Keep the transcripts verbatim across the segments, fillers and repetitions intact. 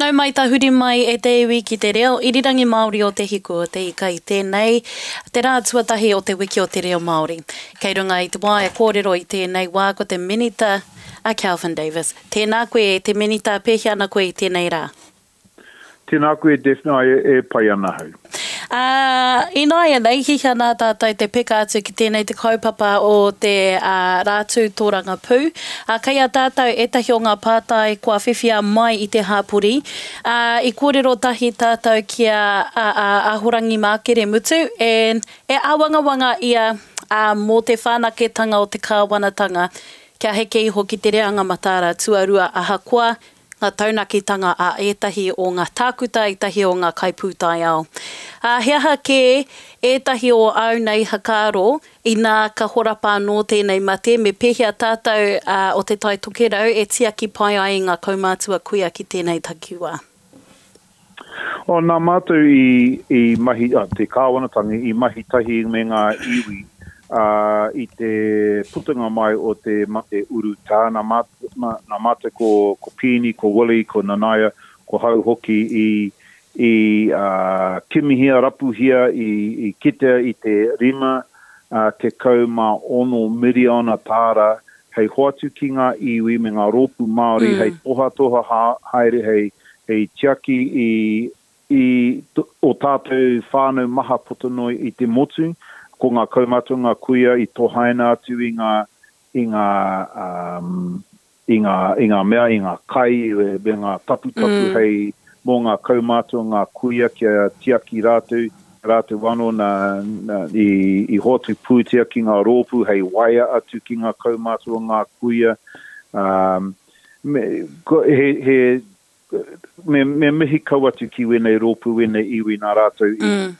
Nau mai tahuri mai e te iwi ki te reo irirangi Māori o Te Hiku o Te Ika i tēnei, te rā tuatahi o te wiki o te reo Māori. Kei runga i te waea kōrero i tēnei wā ko te Minita a Kelvin Davis. Tēnā koe e te Minita, pēhea ana koe i tēnei rā? Tēnā koe Daphne, e, e pai ana hau. Ā, ināianei, hihia nā tātou te peka atu ki tēnei te kaupapa o te ā, Rātū Tōrangapū. Ā, kei a tātou ētahi o ngā pātai kua whiwhia mai i te hāpori. Ā, i kōrero tahi tātou ki a, a, a Ahorangi Mākere Mutu, e, e āwangawanga ia ā, mō te whanaketanga o te kāwanatanga kia heke iho ki te reanga mataara tuarua ahakoa ngā taunakitanga a ētahi o ngā tākuta, ētahi o ngā kaipūtaiao. Ā, he aha kē ētahi o āu nei whakaaro inā ka horapa anō tēnei mate, me pēhea tātou o Te Tai Tokerau e tiaki pai ai i ngā kaumātua kuia ki tēnei takiwā? Oh, nā mātou i, i mahi, ah, te kāwanatanga i mahi tahi me ngā iwi uh, i te putanga mai o te mate urutā. Nā, mā, nā mātou ko, ko Pīni, ko Willie, ko Nanaia, ko Hau hoki i, i uh, kimihia, rapuhia, i, i kitea i te rima uh, tekau mā ono miriona tāra hei hoatu ki ngā iwi me ngā rōpū Māori mm. hei tohatoha ha, haere, hei, hei tiaki i, i o tātou whānau maha puta noa i te motu, ko ngā kaumātua, ngā kuia i tohaina atu i ngā, i ngā, um, i ngā, i ngā mea, i ngā kai, me ngā taputapu mm. hei mō ngā kaumātua, ngā kuia kia tiaki rātou, rātou anō nā, nā, i, i hoatu pūtea ki ngā rōpū hei waea atu ki ngā kaumātua, ngā kuia. Um, me, ko, he, he, me, me mihi kau atu ki wēnei rōpū, wēnei iwi nā rātou i, mm.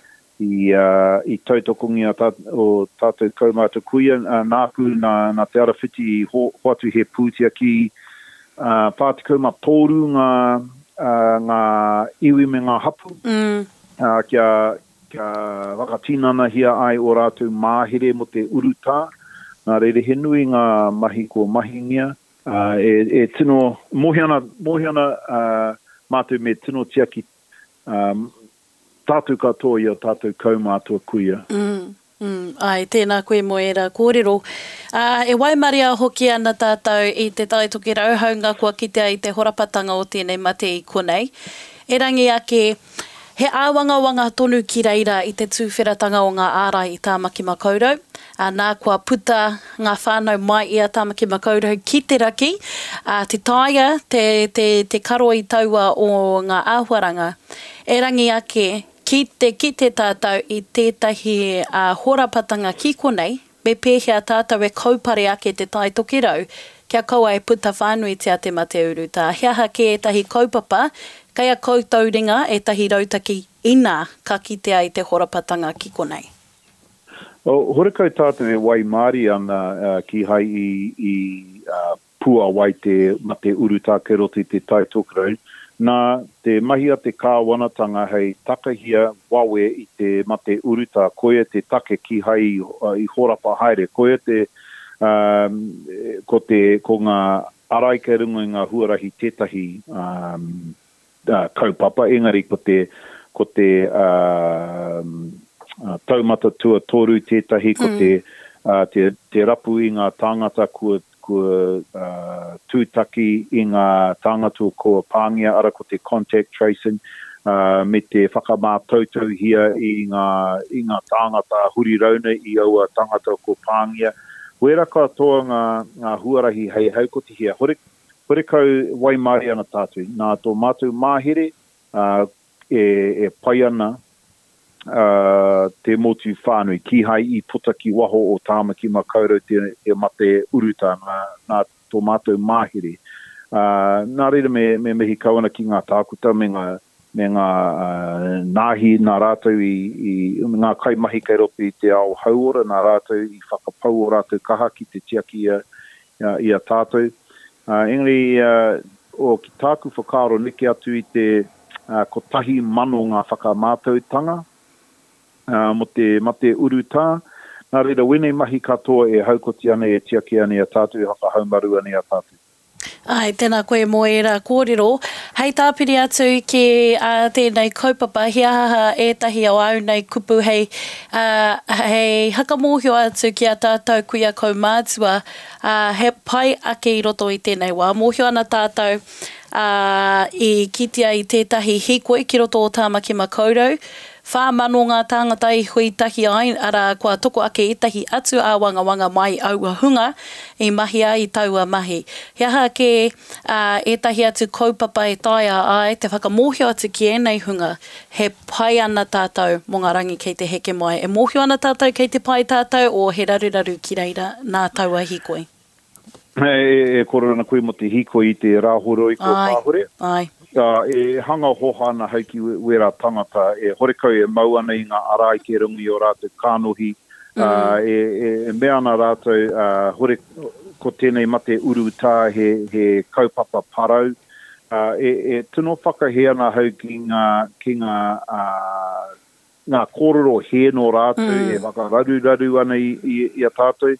i, uh, i tautokongia tā, o tātou kaumātua kuia, uh, nāku, nā, nā Te Arawhiti i ho, hoatu he pūtea ki uh, whā tekau mā toru ngā, uh, ngā iwi me ngā hapu, mm. uh, kia, kia whakatinanahia ai o rātou māhere mo te urutā. Nā reira he nui ngā mahi kua mahingia. Uh, e, e tino, mōhio ana, mōhio ana uh, mātou me tino tiaki um, tātou katoa i o tātou kaumātua kuia. Mm, mm, ai, tēnā koe mō ērā kōrero. Uh, e waimaria hoki ana tātou i te Tai Tokerau haunga kua kitea i te horapatanga o tēnei mate i konei. Erangi ake, he āwangawanga tonu ki reira i te tūwheratanga o ngā ārai i Tāmaki Makaurau. Uh, nā kua puta ngā whānau mai i a Tāmaki Makaurau ki te raki, uh, te taia, te, te, te karo i taua o ngā āhuaranga. Erangi ake, ki te kite tātou i tētahi uh, horapatanga ki konei, me pēhea tātou e kaupare ake te Tai Tokerau, kia kaua e puta whānuitia te mate urutā. He aha kē ētahi kaupapa, kei a koutou ringa ētahi rautaki ina ka kitea i te horapatanga ki konei. O, horekau tātou e waimārie ana uh, ki hai i, i uh, puawai te mate urutā kei roto i te Tai Tokerau. Nā te mahi a te kāwanatanga hei takahia wawe i te mate urutā, koia te take ki hai i, uh, i horapa haere, koia te, um, ko, te, ko ngā arai kei runga i ngā huarahi tētahi um, uh, kaupapa, engari ko te, ko te um, uh, taumata tuatoru tētahi, ko te, uh, te, te rapu i ngā tāngata kua, kua uh, tūtaki i ngā tāngata kua pāngia, ara ko te contact tracing, uh, me te whakamātautauhia i ngā, i ngā tāngata huri rauna i aua tāngata kua pāngia. Wera katoa ngā, ngā huarahi hei haukotihia. Hore, horekau waimārie ana tātou. Nā tō mātou māhere uh, e, e pai ana uh, te motu whānui. Kīhai i puta ki waho o Tāmaki Makaurau te, te mate urutā nā, nā tō mātou māhere. Uh, nā reira me, me mihi kau ana ki ngā tākuta me ngā, me ngā uh, nāhi nā rātou i, i ngā kaimahi kei roto i te ao hauora, nā rātou i whakapau o rātou kaha ki te tiaki i a, i a tātou. Uh, engari, uh, o ki tāku whakaaro neke atu i te uh, kotahi mano ngā whakamātautanga uh, mo te mate urutā. Nā reira, wēnei mahi katoa e haukoti ana, e tiaki ana i a tātou, e whakahaumaru ana i a tātou. Ai, tēnā koe mō ērā kōrero. Hei tāpiri atu ki uh, tēnei kaupapa, he aha ētahi o āu nei kupu hei, uh, hei hakamōhio atu ki a tātou kuia kaumātua, uh, he pai ake i roto i tēnei wā. Mōhio ana tātou uh, i kitea i tētahi hīkoi ki roto o Tāmaki Makaurau, whā mano ngā tāngata i hui tahi ai, arā kua toko ake ētahi atu āwangawanga mai aua hunga i mahia i taua mahi. He aha kē uh, ētahi atu kaupapa e taea ai te whakamōhio atu ki ēnei hunga, he pai ana tātou mō ngā rangi kei te heke mai. E mōhio ana tātou kei te pai tātou o he raruraru ki reira nā taua hīkoi. E, e, e kōrero ana koe mō te hīkoi i te rāhoroi ko Ai, kāhore. ai. Uh, e hanga hoha ana hau ki wērā tangata, e horekau e mau ana i ngā arai ke runga i o rātou kānohi, mm. uh, e, e, e mea ana rātou, uh, hore, ko tēnei mate urutā he, he kaupapa parau. Uh, e, e tino whakahe ana hau ki ngā, ki ngā, uh, ngā kōrero he nō rātou mm. e whakararuraru ana i, i, i a tātou.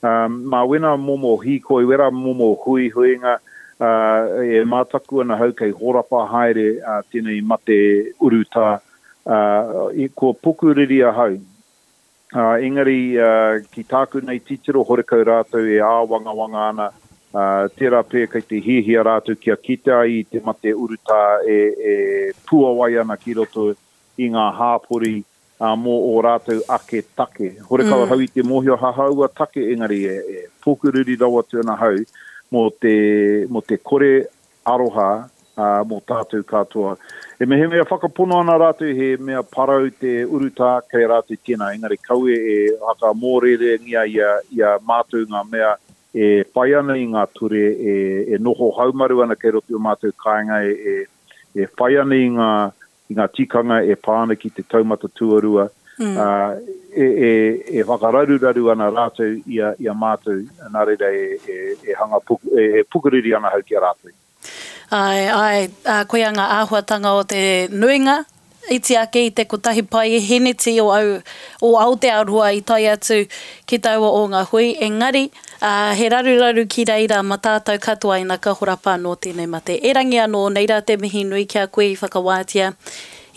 Um, mā wena momo hīkoi, wera momo huihuinga, uh, e mātaku ana hau kei horapa haere uh, tēnei mate urutā, uh, i, kua pukuriri ahau. Uh, engari, uh, ki tāku nei titiro horekau rātou e āwangawanga ana, uh, tērā pē kei te hiahia rātou kia kite ai i te mate urutā e, e puawai ana ki roto i ngā hāpori uh, mō o rātou ake take. Horekau mm. hau i te mōhio hahaua take, engari e, e pukuriri rawa atu ana hau mō te, mō te kore aroha uh, mō tātou katoa. E mehemea whakapono ana rātou he mea parau te urutā kei rātou tēnā, engari kaue e whakamōrerengia ia, ia mātou ngā mea e whai ana i ngā ture, e, e noho haumaru ana kei roto i o mātou kāinga, e, e, e whai ana i ngā, i ngā tikanga e pā ana ki te taumata tuarua, mm. uh, e, e, e whakararuraru ana rātou i a, i a mātou, nā reira e, e, e, hanga puku, e, e pukuriri ana hau ki a rātou. Ai, ai, uh, koia ngā āhuatanga o te nuinga, iti ake i te kotahi pai heneti o, au, o Aotearoa i tae atu ki taua o ngā hui, engari uh, he raruraru ki reira ma tātou katoa ina ka horapa anō tēnei mate. Erangi anō, nei rā te mihi nui ki a koe i whakawātia.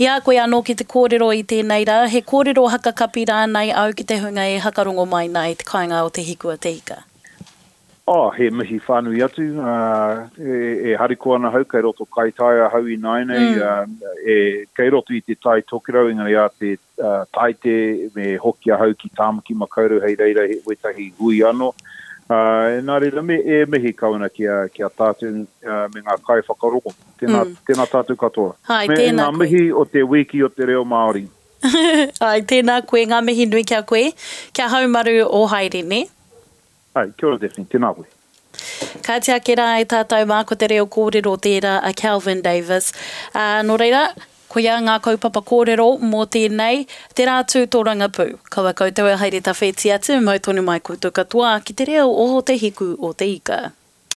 I a koe anō ki te kōrero i tēnei rā, he kōrero hakakapi rānei au ki te hunga e hakarongo mai nā i te kāinga o Te Hiku a Te Ika. Oh, he mihi whānui atu, uh, e, e hariko ana hau, kei roto kaitaia hau i nāinei, mm. uh, e, kei roto i te tai tokerau, engari a te uh, taite me hoki ahau ki Tāmaki Makaurau hei reira he wetahi hui anō. Uh, nā reira, me, e mihi kau ana ki a, ki a tātou uh, me ngā kai whakarongo. Tēnā, mm. tēnā tātou katoa. Hai, me tēnā ngā koe. mihi o te wiki o te reo Māori. Ai, tēnā koe, ngā mihi nui kia koe. Kia haumaru o haere, ne? Ai, kia ora Daphne, tēnā koe. Ka ake rā e tātou mā ko te reo kōrero tērā a Kelvin Davis. Uh, nō reira, koia ngā kaupapa kōrero mō tēnei, te rā tū tōrangapū. Kaua koutou e haere tawhiti atu, mau tonu mai koutou katoa ki te reo o Te Hiku o Te Ika.